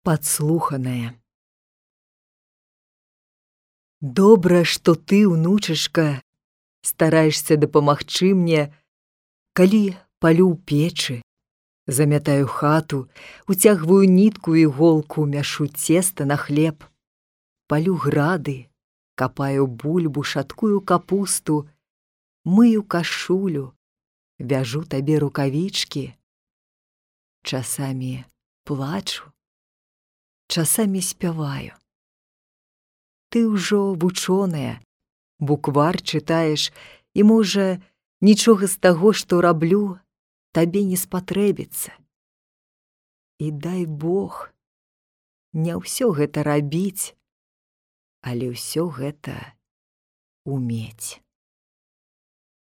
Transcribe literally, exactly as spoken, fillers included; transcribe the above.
Падслуханае. Добра, што ты, унучашка, стараешся дапамагчы мне, калі палю ў печы, замятаю хату, уцягваю нітку і іголку, мяшу цеста на хлеб, палю грады, капаю бульбу, шаткую капусту, мыю кашулю, вяжу табе рукавічкі. Часамі плачу, часамі спяваю. Ты ўжо вучоная, буквар чытаеш, і, можа, нічога з таго, што раблю, табе не спатрэбіцца. І дай Бог, не ўсё гэта рабіць, але ўсё гэта умець.